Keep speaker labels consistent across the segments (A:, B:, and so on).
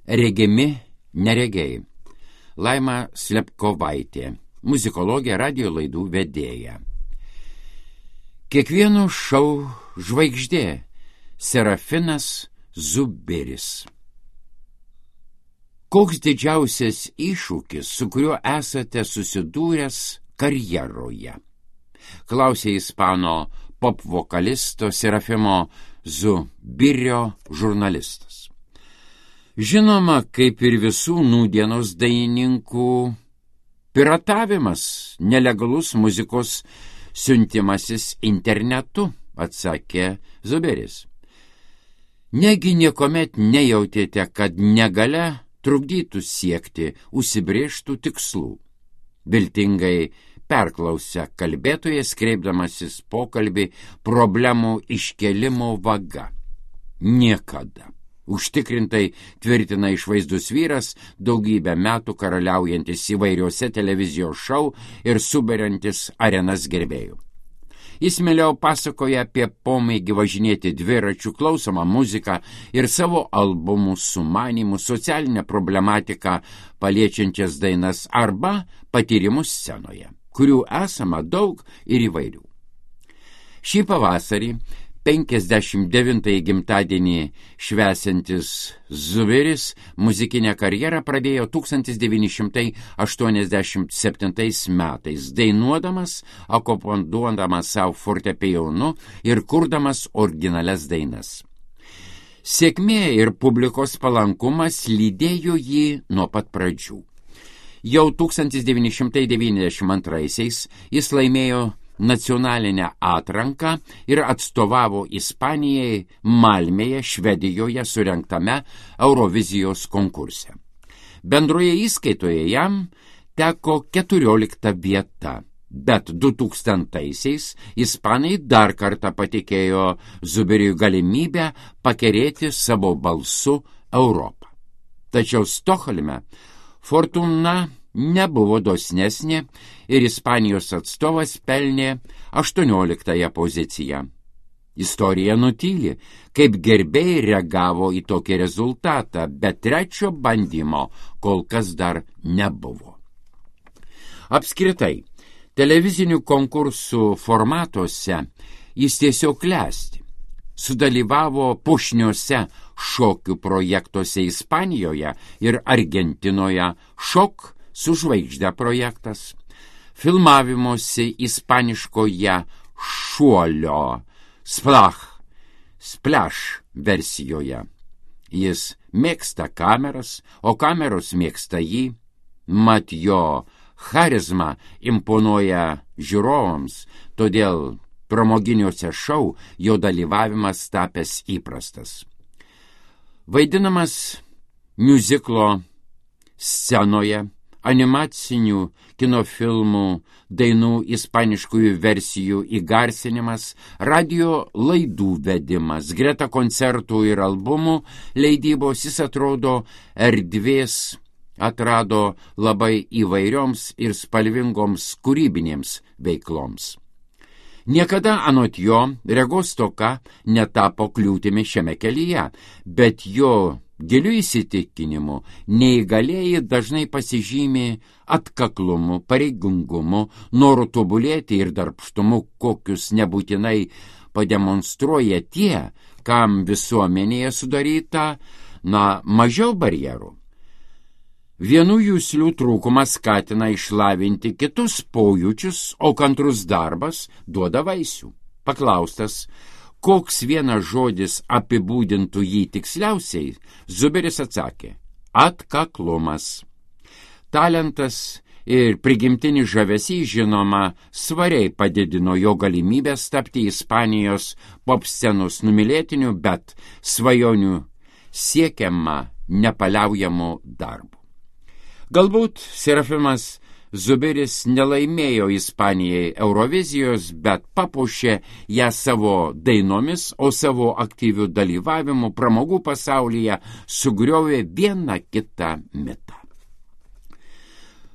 A: Regimi neregiai. Laima Slepkovaitė, muzikologė, radijo laidų vedėja. Kiekvieno šou žvaigždė Serafinas Zuberis. Koks didžiausias iššūkis, su kuriuo esate susidūręs karjeroje? Klausė ispano pop vokalisto Serafimo Zubirio žurnalistas. Žinoma, kaip ir visų nūdienos dainininkų, piratavimas, nelegalus muzikos siuntimasis internetu, atsakė Zuberis. Negi niekuomet nejautėte, kad negalia trukdytų siekti užsibrėžtų tikslų? Viltingai perklausė kalbėtojas, kreipdamasis pokalbį problemų iškėlimo vaga. Niekada. Užtikrintai tvirtina išvaizdus vyras, daugybę metų karaliaujantis įvairiuose televizijos šou ir suberiantis arenas gerbėjų. Jis mieliau pasakoja apie pomėgį važinėti dviračių, klausomą muziką ir savo albumų sumanimų, socialinę problematiką paliečiančias dainas arba patyrimus scenoje, kurių esama daug ir įvairių. Šį pavasarį 59 gimtadienį švęsiantis Zuberis muzikinę karjerą pradėjo 1987 metais, dainuodamas, akompanuodamas savo fortepijonu ir kurdamas originalias dainas. Sėkmė ir publikos palankumas lydėjo jį nuo pat pradžių. Jau 1992 jis laimėjo nacionalinę atranką ir atstovavo Ispanijai Malmėje, Švedijoje surengtame Eurovizijos konkurse. Bendroje įskaitoje jam teko 14 vieta, bet 2000-aisiais ispanai dar kartą patikėjo Zuberiui galimybę pakerėti savo balsu Europą. Tačiau Stokholme fortuna nebuvo dosnesnė ir Ispanijos atstovas pelnė 18 poziciją. Istorija nutyli, kaip gerbėjai reagavo į tokį rezultatą, bet trečio bandymo kol kas dar nebuvo. Apskritai, televizinių konkursų formatuose jis tiesiog klesti. Sudalyvavo pušniuose šokių projektuose Ispanijoje ir Argentinoje šok su žvaigžde projektas, filmavimuose ispaniškoje šuolio splash versijoje. Jis mėgsta kameras, o kameros mėgsta jį, mat jo charizma imponuoja žiūrovams, todėl pramoginiuose šou jo dalyvavimas tapęs įprastas. Vaidinamas miuziklo scenoje, animacinių kinofilmų, dainų ispaniškųjų versijų įgarsinimas, radio laidų vedimas, greta koncertų ir albumų leidybos jis atrodo erdvės atrado labai įvairioms ir spalvingoms kūrybinėms veikloms. Niekada anot jo regos stoka netapo kliūtimi šiame kelyje, bet jo giliu įsitikinimu neįgalieji dažnai pasižymi atkaklumu, pareigingumu, noru tobulėti ir darbštumu, kokius nebūtinai pademonstruoja tie, kam visuomenėje sudaryta, mažiau barjerų. Vienų juslių trūkumas skatina išlavinti kitus pojūčius, o kantrus darbas duoda vaisių. Paklaustas, koks vienas žodis apibūdintų jį tiksliausiai, Zuberis atsakė – atkaklumas. Talentas ir prigimtinis žavesys, žinoma, svariai padidino jo galimybės tapti Ispanijos pop scenos numylėtiniu, bet svajonių siekiama nepaliaujamų darbų. Galbūt Serafimas Zuberis nelaimėjo Ispanijai Eurovizijos, bet papuošė ją savo dainomis, o savo aktyvių dalyvavimų pramogų pasaulyje sugriovė vieną kitą mitą.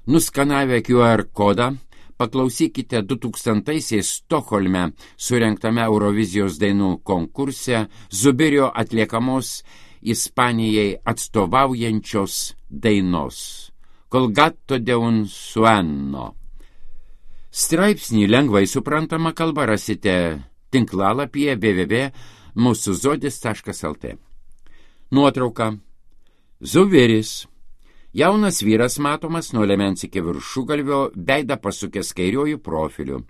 A: Nuskanavę QR kodą, paklausykite 2000-aisiais Stokholme surengtame Eurovizijos dainų konkurse Zuberio atliekamos Ispanijai atstovaujančios dainos Col gatto de un sueno. Straipsnį lengvai suprantama kalba rasite tinklalapyje www.musuzodis.lt. Nuotrauka. Zuveris. Jaunas vyras matomas nuo liemens iki viršugalvio, veidą pasukęs kairiuoju profiliu.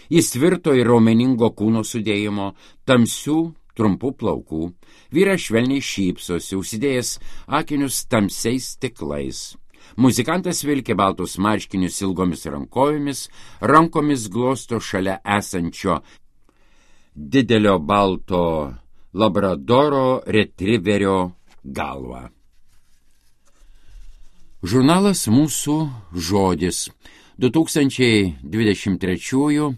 A: Jis tvirto ir raumeningo kūno sudėjimo, tamsių, trumpų plaukų. Vyras švelniai šypsosi, užsidėjęs akinius tamsiais stiklais. Muzikantas vilkė baltus marškinius ilgomis rankomis glosto šalia esančio didelio balto labradoro retriverio galvą. Žurnalas Mūsų žodis 2023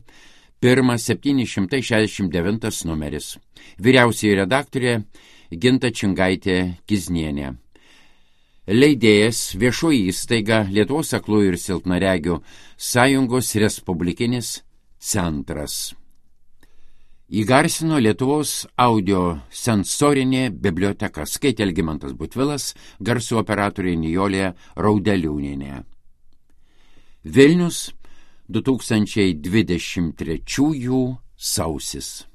A: 1769 numeris. Vyriausioji redaktorė Ginta Čingaitė-Kiznienė. Leidėjas viešoji įstaiga Lietuvos aklųjų ir silpnaregių sąjungos Respublikinis centras. Įgarsino Lietuvos audio sensorinė biblioteka. Skaitė Algimantas Butvilas, garso operatorė Nijolė Raudeliūnienė. Vilnius 2023 sausis.